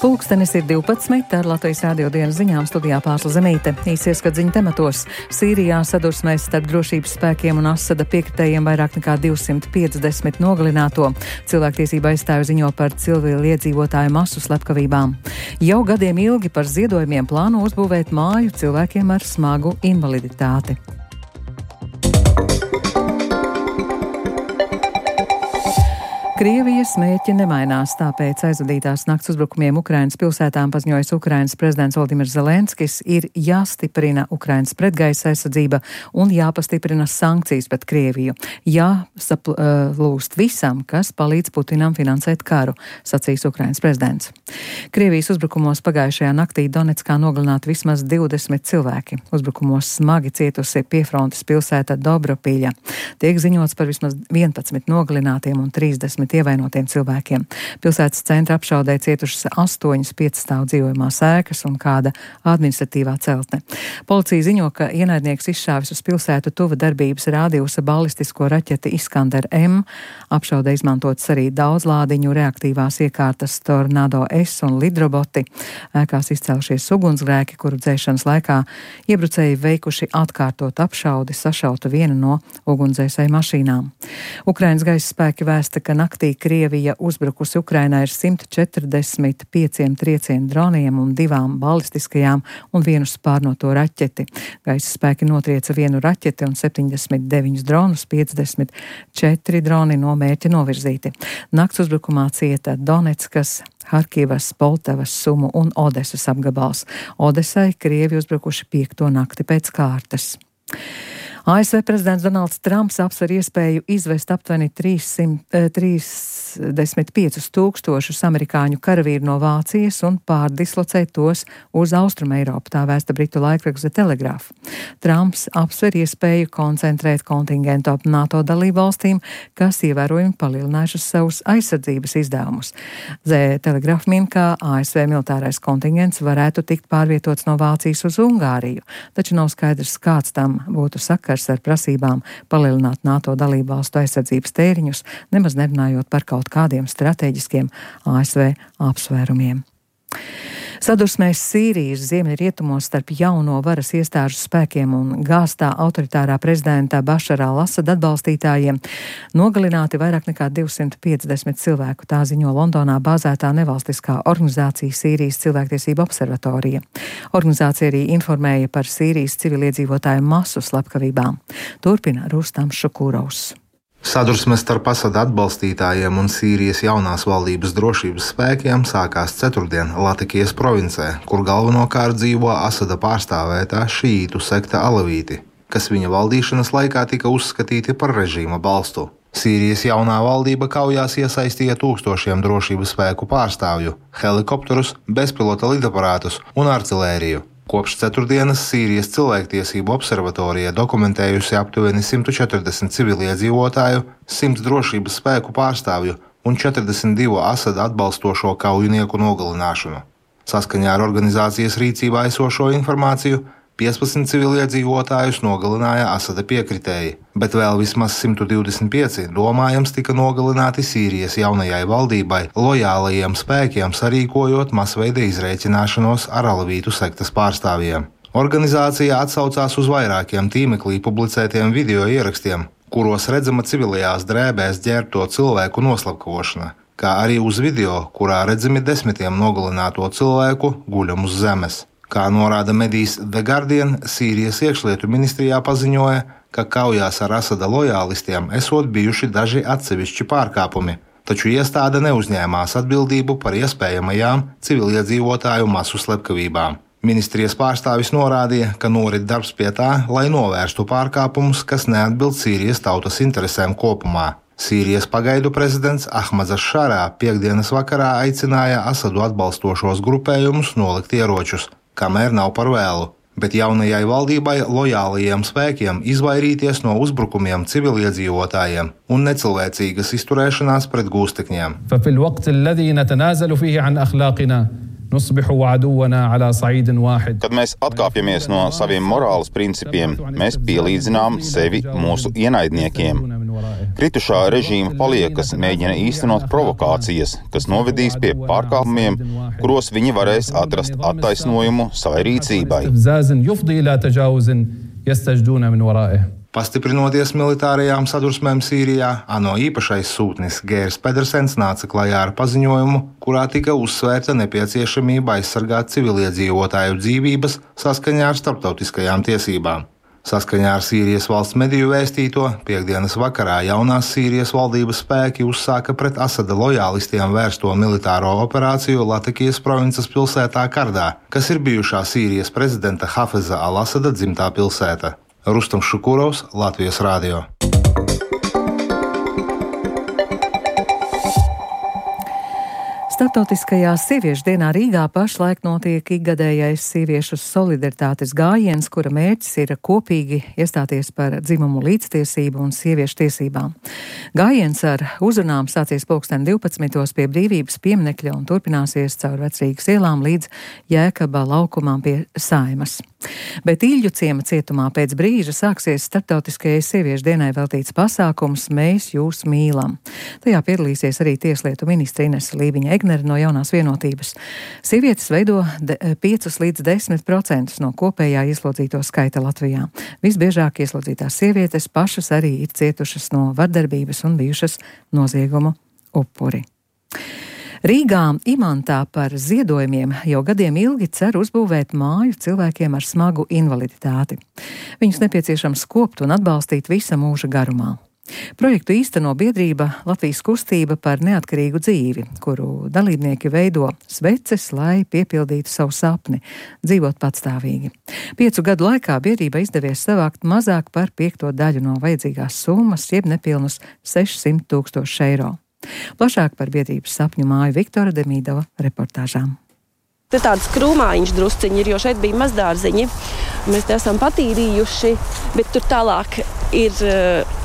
Pulkstenis ir 12, ar Latvijas Rādio dienas ziņām studijā Pārsla Zemīte. Īsieskat ziņu tematos. Sīrijā sadursmēs starp drošības spēkiem un Asada piekritējiem vairāk nekā 250 nogalināto. Cilvēktiesība aizstāvja ziņo par civiliedzīvotāju masu slepkavībām. Jau gadiem ilgi par ziedojumiem plāno uzbūvēt māju cilvēkiem ar smagu invaliditāti. Krievijas mērķi nemainās, tāpēc aizvadītās nakts uzbrukumiem Ukrainas pilsētām paziņojis Ukrainas prezidents Volodimirs Zelenskis, ir jāstiprina Ukrainas pretgaisa aizsardzība un jāpastiprina sankcijas pret Krieviju. Jāsaplūst visam, kas palīdz Putinam finansēt karu, sacīs Ukrainas prezidents. Krievijas uzbrukumos pagājušajā naktī Donetskā nogalināti vismaz 20 cilvēki. Uzbrukumos smagi cietusi piefrontes pilsēta Dobropīļa. Tiek ziņots par vismaz 11 nogalinātiem un 30 ievainotiem cilvēkiem. Pilsētas centra apšaudē cietušas 8 piecstāvu dzīvojamās ēkas un kāda administratīvā celtne. Policija ziņo, ka ienaidnieks izšāvis uz pilsētu tuva darbības rādījusa balistisko raķeti Iskander M. Apšaudē izmantotas arī daudzlādiņu reaktīvās iekārtas Tornado S un lidroboti. Ēkās izcēlušies ugunsgrēki, kuru dzēšanas laikā iebrucēji veikuši atkārtot apšaudi, sašauta viena no ugunsdzēsēju mašīnām. Ukrainas gaisa spēki vēsta, ka naktī Krievija uzbrukusi Ukrainā ar 145 triecienu droniem un 2 balistiskajām un 1 spārnoto raķeti. Gaisa spēki notrieca 1 raķeti un 79 dronus, 54 droni no mērķa novirzīti. Nakts uzbrukumā cieta Donetskas, Harkivas, Poltavas, Sumu un Odesas apgabals. Odesai Krievi uzbrukuši 5. nakti pēc kārtas. ASV prezidents Donalds Trumps apsver iespēju izvest aptuveni 35,000 amerikāņu karavīru no Vācijas un pārdislocēt tos uz Austrumeiropu, tā vēsta britu laikraksts The Telegraph. Trumps apsver iespēju koncentrēt kontingentu ap NATO dalībvalstīm, kas ievērojami palielinājušas savus aizsardzības izdevumus. The Telegraph min, ka ASV militārais kontingents varētu tikt pārvietots no Vācijas uz Ungāriju, taču nav skaidrs, kāds tam būtu sakars ar prasībām palielināt NATO dalībvalstu aizsardzības tēriņus, nemaz nerunājot par kaut kādiem strateģiskiem ASV apsvērumiem. Sadursmēs Sīrijas ziemeļrietumos starp jauno varas iestāžu spēkiem un gāztā autoritārā prezidenta Bašara al-Asada atbalstītājiem nogalināti vairāk nekā 250 cilvēku, tā ziņo Londonā bāzētā nevalstiskā organizācija Sīrijas cilvēktiesību observatorija. Organizācija arī informēja par Sīrijas civiliedzīvotāju masu slepkavībām. Turpina Rustams Šukūrovs. Sadursmes starp Asada atbalstītājiem un Sīrijas jaunās valdības drošības spēkiem sākās ceturtdien Latikijas provincē, kur galvenokārt dzīvo Asada pārstāvētā šīītu sekta alavīti, kas viņa valdīšanas laikā tika uzskatīti par režīma balstu. Sīrijas jaunā valdība kaujās iesaistīja tūkstošiem drošības spēku pārstāvju, helikopterus, bezpilota lidaparātus un artilēriju. Kopš ceturtdienas Sīrijas cilvēktiesību observatorija dokumentējusi aptuveni 140 civiliedzīvotāju, 100 drošības spēku pārstāvju un 42 Asada atbalstošo kaujinieku nogalināšanu. Saskaņā ar organizācijas rīcībā esošo informāciju 15 civiliedzīvotājus nogalināja Asada piekritēji, bet vēl vismaz 125 domājams tika nogalināti Sīrijas jaunajai valdībai lojālajiem spēkiem, sarīkojot masveida izrēķināšanos ar alavītu sektas pārstāvjiem. Organizācija atsaucās uz vairākiem tīmeklī publicētiem video ierakstiem, kuros redzama civilajās drēbēs ģērbto cilvēku noslapkavošana, kā arī uz video, kurā redzami desmitiem nogalināto cilvēku guļam uz zemes. Kā norāda medijs The Guardian, Sīrijas iekšlietu ministrijā paziņoja, ka kaujās ar Asada lojālistiem esot bijuši daži atsevišķi pārkāpumi, taču iestāde neuzņēmās atbildību par iespējamajām civiliedzīvotāju masu slepkavībām. Ministrijas pārstāvis norādīja, ka norit darbs pie tā, lai novērstu pārkāpumus, kas neatbilst Sīrijas tautas interesēm kopumā. Sīrijas pagaidu prezidents Ahmads Ašarā piekdienas vakarā aicināja Asadu atbalstošos grupējumus nolikt ieročus, kamēr nav par vēlu, bet jaunajai valdībai lojālajiem spēkiem izvairīties no uzbrukumiem civiliedzīvotājiem un necilvēcīgas izturēšanās pret gūstekņiem. Kad mēs atkāpjamies no saviem morāles principiem, mēs pielīdzinām sevi mūsu ienaidniekiem. Kritušā režīma paliekas mēģina īstenot provokācijas, kas novedīs pie pārkāpumiem, kuros viņi varēs atrast attaisnojumu savai rīcībai. Pastiprinoties militārajām sadursmēm Sīrijā, ANO īpašais sūtnis Gērs Pedersens nāca klajā ar paziņojumu, kurā tika uzsvērta nepieciešamība aizsargāt civiliedzīvotāju dzīvības saskaņā ar starptautiskajām tiesībām. Saskaņā ar Sīrijas valsts mediju vēstīto, piektdienas vakarā jaunās Sīrijas valdības spēki uzsāka pret Asada lojālistiem vērsto militāro operāciju Latikijas provinces pilsētā Kardā, kas ir bijušā Sīrijas prezidenta Hafeza al-Asada dzimtā pilsēta. Rustams Šukurovs, Latvijas radio. Starptautiskajā sieviešu dienā Rīgā pašlaik notiek ikgadējais sieviešu solidaritātes gājiens, kura mērķis ir kopīgi iestāties par dzimumu līdztiesību un sieviešu tiesībām. Gājiens ar uzrunām sācies 12. pie Brīvības pieminekļa un turpināsies caur Vecrīgas ielām līdz Jēkaba laukumām pie Saeimas. Bet Īļu ciema cietumā pēc brīža sāksies Starptautiskajai sieviešu dienai veltīts pasākums Mēs jūs mīlam. Tajā piedalīsies arī tieslietu ministre Inese Līviņa Egnere no Jaunās vienotības. Sievietes veido 5 līdz 10% no kopējā ieslodzīto skaita Latvijā. Visbiežāk ieslodzītās sievietes pašas arī ir cietušas no vardarbības un bijušas noziegumu upuri. Rīgā Imantā par ziedojumiem jau gadiem ilgi cer uzbūvēt māju cilvēkiem ar smagu invaliditāti. Viņus nepieciešams kopt un atbalstīt visa mūža garumā. Projektu īsteno biedrība Latvijas kustība par neatkarīgu dzīvi, kuru dalībnieki veido sveces, lai piepildītu savu sapni – dzīvot patstāvīgi. 5 gadu laikā biedrība izdevies savākt mazāk par 5 daļu no vajadzīgās summas, jeb nepilnus 600 000 eiro. Plašāk par biedrības sapņu māju Viktora Demīdova reportāžām. Te tāds krūmājiņš drusciņi ir, jo šeit bija mazdārziņi. Mēs te esam patīrījuši, bet tur tālāk ir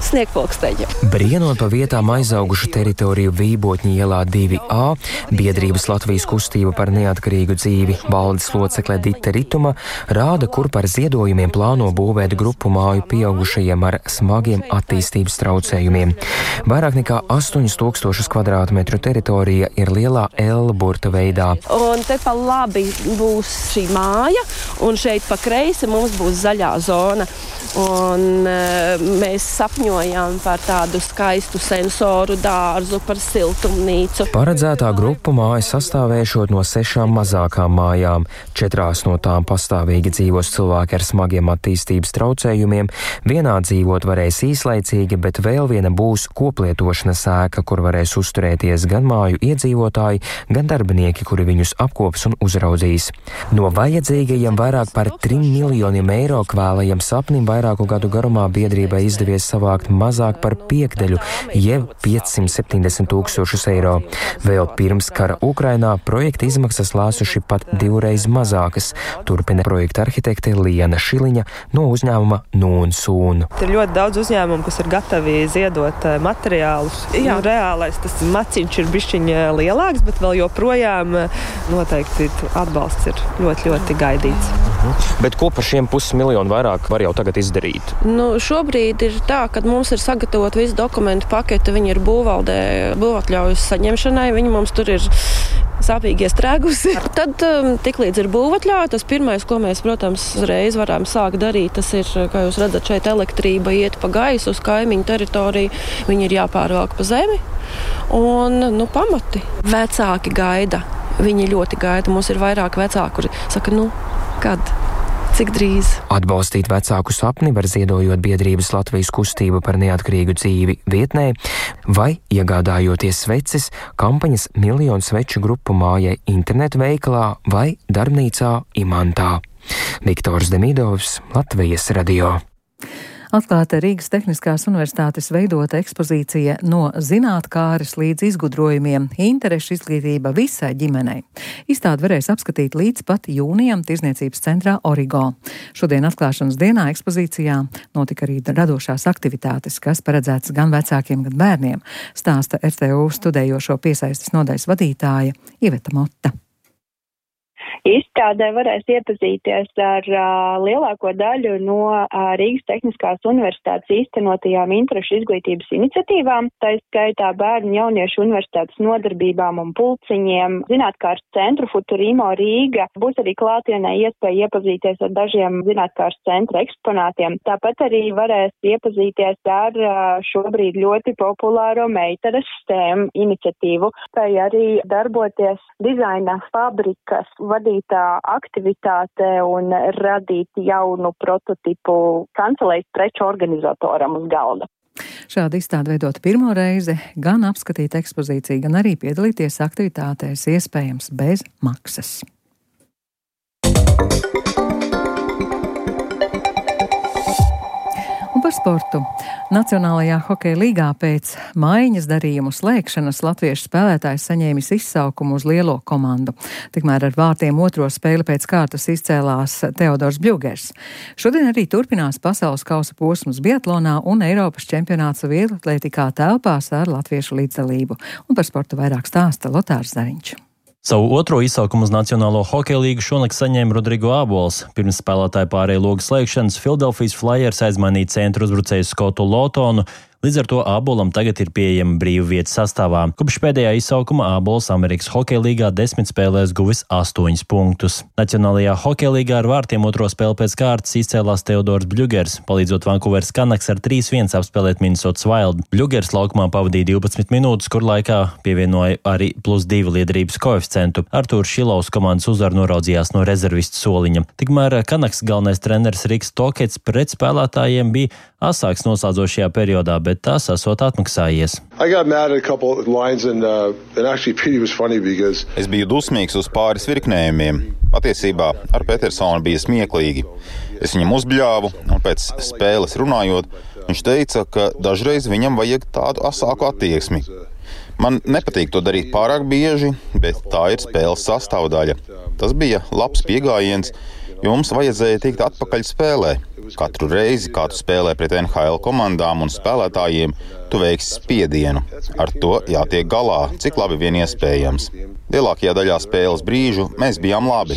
sniegpulksteņa. Brienot pa vietām aizaugušu teritoriju Vībotņa ielā 2A, biedrības Latvijas kustība par neatkarīgu dzīvi valdes locekle Dita Rituma rāda, kur par ziedojumiem plāno būvēt grupu māju pieaugušajiem ar smagiem attīstības traucējumiem. Vairāk nekā 8000 kvadrātmetru teritorija ir lielā L burta veidā. Un te pa labi būs šī māja, un šeit pa kreisi mums būs zaļā zona. Un mēs sapņojām par tādu skaistu sensoru dārzu, par siltumnīcu. Paredzētā grupu māja sastāvēšot no 6 mazākām mājām. 4 no tām pastāvīgi dzīvos cilvēki ar smagiem attīstības traucējumiem. Vienā dzīvot varēs īslaicīgi, bet vēl viena būs koplietošanas ēka, kur varēs uzturēties gan māju iedzīvotāji, gan darbinieki, kuri viņus apkops un uzraudzīs. No vajadzīgajiem vairāk par 3 miljoniem eiro kvēlajiem sapnim vairāku gadu garumā biedrībai izdevies savākt mazāk par 5 jeb 570 000 eiro. Vēl pirms kara Ukrainā projekta izmaksas lēsuši pat 2 reizes mazākas, turpina projekta arhitekte Liena Šiliņa no uzņēmuma Nūn Sūn. Ir ļoti daudz uzņēmumu, kas ir gatavi ziedot materiālus. Reālais tas maciņš ir bišķiņ lielāks, bet vēl joprojām noteikti atbalsts ir ļoti, ļoti gaidīts. Bet ko par šiem 500 000 vairāk var jau tagad izdarīt? Šobrīd ir tā, ka mums ir sagatavot visu dokumentu paketi, viņi ir būvvaldē būvatļaujas saņemšanai, viņi mums tur ir sāpīgi iestrēgusi. Tad tiklīdz ir būvatļauja, tas pirmais, ko mēs, protams, uzreiz varam sākt darīt, tas ir, kā jūs redzat, šeit elektrība iet pa gaisu uz kaimiņu teritoriju, viņi ir jāpārvelk pa zemi un, pamati. Vecāki gaida, viņi ļoti gaida, mums ir vairāk vecāki, kuri saka, kad? Cik drīz? Atbalstīt vecāku sapni var ziedojot biedrības Latvijas kustība par neatkarīgu dzīvi vietnē vai iegādājoties sveces kampaņas miljonu sveču grupu mājai internetu veikalā vai darbnīcā Imantā. Viktors Demīdovs, Latvijas radio. Atklāta Rīgas Tehniskās universitātes veidota ekspozīcija no zinātkāres līdz izgudrojumiem – interešu izglītība visai ģimenei. Izstādi varēs apskatīt līdz pat jūnijam Tirzniecības centrā Origo. Šodien atklāšanas dienā ekspozīcijā notika arī radošās aktivitātes, kas paredzētas gan vecākiem, gan bērniem, stāsta RTU studējošo piesaistes nodaļas vadītāja Iveta Motta. Izstādē varēs iepazīties ar lielāko daļu no Rīgas Tehniskās universitātes īstenotajām interešu izglītības iniciatīvām, tā skaitā bērnu jauniešu universitātes nodarbībām un pulciņiem, zinātkārs centru Futurimo Rīga. Būs arī klātienē iespēja iepazīties ar dažiem zinātkārs centra eksponātiem. Tāpat arī varēs iepazīties ar šobrīd ļoti populāro meitares STEM iniciatīvu, tai arī darboties dizaina fabrikas vadītā aktivitāte un radīt jaunu prototipu kancelējas preču organizatoram uz galda. Šādi izstādi veidot pirmo reizi, gan apskatīt ekspozīciju, gan arī piedalīties aktivitātēs iespējams bez maksas. Par sportu. Nacionālajā hokeja līgā pēc maiņas darījumu slēgšanas latviešu spēlētājs saņēmis izsaukumu uz lielo komandu. Tikmēr ar vārtiem otro spēli pēc kārtas izcēlās Teodors Bļugers. Šodien arī turpinās pasaules kausa posms biatlonā un Eiropas čempionāts vieglatlētikā telpās ar latviešu līdzdalību. Un par sportu vairāk stāsta Lotārs Zariņš. Savu otro izsaukumu uz Nacionālo hokeja līgu šonakt saņēma Rodrigo Ābols. Pirms spēlētāju pārēju logu slēgšanas Philadelphijas Flyers aizmainīja centru uzbrucēju Skotu Lotonu. Līdz ar to Ābolam tagad ir pieejama brīva vieta sastāvā. Kopš pēdējā izsaukuma Ābols Amerikas hokeja līgā 10 spēlēs guvis 8 punktus. Nacionālajā hokeja līgā ar vārtiem otro spēli pēc kārtas izcēlās Teodors Bļugers, palīdzot Vancouveras Canucks ar 3-1 apspēlēt Minnesotas Wild. Bļugers laukumā pavadīja 12 minūtes, kur laikā pievienoja arī +2 liederības koeficientu. Artūrs Šilovs komandas uzvaru noraudzījās no rezervistu soliņa. Tikmēr Canucks galvenais treneris Riks Tokets pret spēlētājiem bija asāks noslēdzošajā periodā, bet tas esot atmaksājies. Es biju dusmīgs uz pāris virknējumiem. Patiesībā ar Petersonu bija smieklīgi. Es viņam uzbļāvu, un pēc spēles runājot, viņš teica, ka dažreiz viņam vajag tādu asāku attieksmi. Man nepatīk to darīt pārāk bieži, bet tā ir spēles sastāvdaļa. Tas bija labs piegājiens, jo mums vajadzēja tikt atpakaļ spēlē. Katru reizi, kā tu spēlē pret NHL komandām un spēlētājiem, tu veiksi spiedienu. Ar to jātiek galā, cik labi vien iespējams. Lielākajā daļā spēles brīžu mēs bijām labi.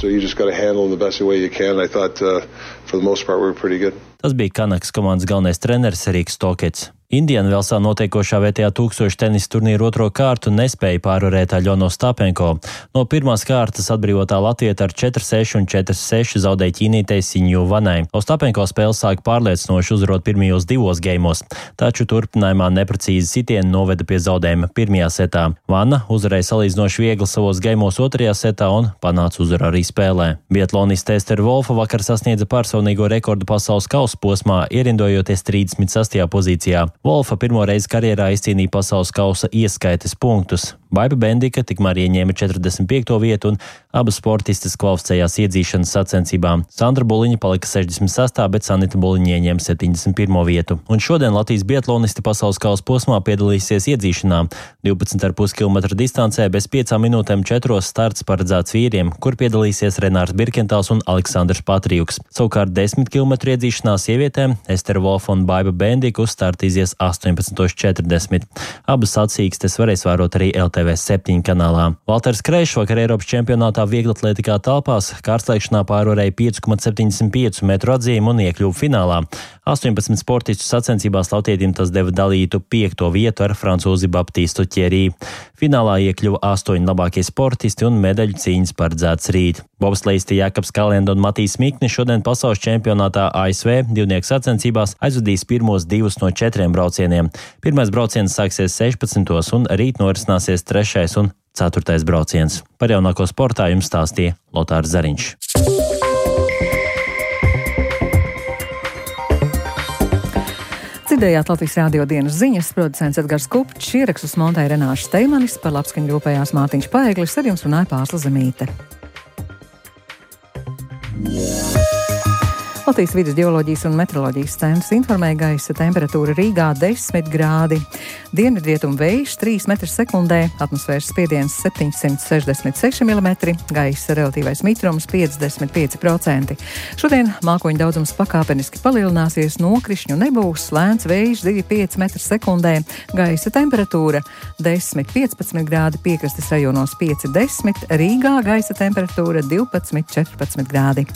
Tas bija Canucks komandas galvenais treneris Riks Tokets. Indianvelsā notiekošā vietējā 1000 tenisa turnīra otro kārtu nespēja pārvarēt Aļonu Ostapenko. No pirmās kārtas atbrīvotā latvieta ar 4-6 un 4-6 zaudēja ķīnītei Siņju Vanai. Ostapenko spēle sāka pārliecinoši uzvarot pirmajos 2 geimos, taču turpinājumā neprecīzi sitieni noveda pie zaudējuma pirmajā setā. Vana uzvarēja salīdzinoši viegli savos geimos otrajā setā un panāca uzvaru arī spēlē. Biatloniste Estera Volfa vakar sasniedza personīgo rekordu pasaules kausa posmā, ierindojoties 36. pozīcijā. Volfa pirmo reizi karjerā izcīnīja pasaules kausa ieskaites punktus. Baiba Bendika tikmēr ieņēma 45. vietu un abas sportistes kvalificējās iedzīšanas sacensībām. Sandra Buliņa palika 66. bet Sanita Buliņa ieņēma 71. vietu. Un šodien Latvijas biatlonisti pasaules kausa posmā piedalīsies iedzīšanā. 12,5 km distancē bez 5 minūtēm 4 starts paredzēts vīriem, kur piedalīsies Renārs Birkentāls un Aleksandrs Patrijuks. Savukārt 10 km iedzīšanā sievietēm Estera Volfa un Baiba Bendika uz startu izies 18:40. Abas sacīkstes varēs vērot arī LTV7 kanālā. Valters Kreišs vakar Eiropas čempionātā vieglatlētikā telpās kārtslēgšanā pārvarēja 5,75 metru atzīmi un iekļuva finālā. 18 sportistu sacensībās latvietim tas deva dalītu 5. vietu ar francūzi Baptistu Thierry. Finālā iekļuva 8 labākie sportisti un medaļu cīņas paredzēts rīt. Bobsleisti Jākaps Kalenda un Matīs Mikni šodien pasaules čempionātā ASV divnieku sacensībās aizvadīs pirmos 2 no 4 braucieniem. Pirmais brauciens sāksies 16. un rīt norisināsies 3. un 4. brauciens. Par jaunāko sportā jums stāstīja Lotārs Zariņš. Dzirdējāt Latvijas radio dienas ziņas, producents Edgars Kupčs, ierakstus montēja Renāša Steimanis, par labskaņu rūpējās Mārtiņš Paeglis, ar jums runāja Pārsla Zemīte. Latvijas vides ģeoloģijas un meteoroloģijas centrs informēja gaisa temperatūra Rīgā 10 grādi. Dienvidrietumu vējš 3 m/sekundē, atmosfēras spiediens 766 mm, gaisa relatīvais mitrums 55%. Šodien mākoņu daudzums pakāpeniski palielināsies, nokrišņu nebūs, lēns vējš 2,5 m/sekundē, gaisa temperatūra 10-15 grādi, piekrastes rajonos 5-10, Rīgā gaisa temperatūra 12-14 grādi.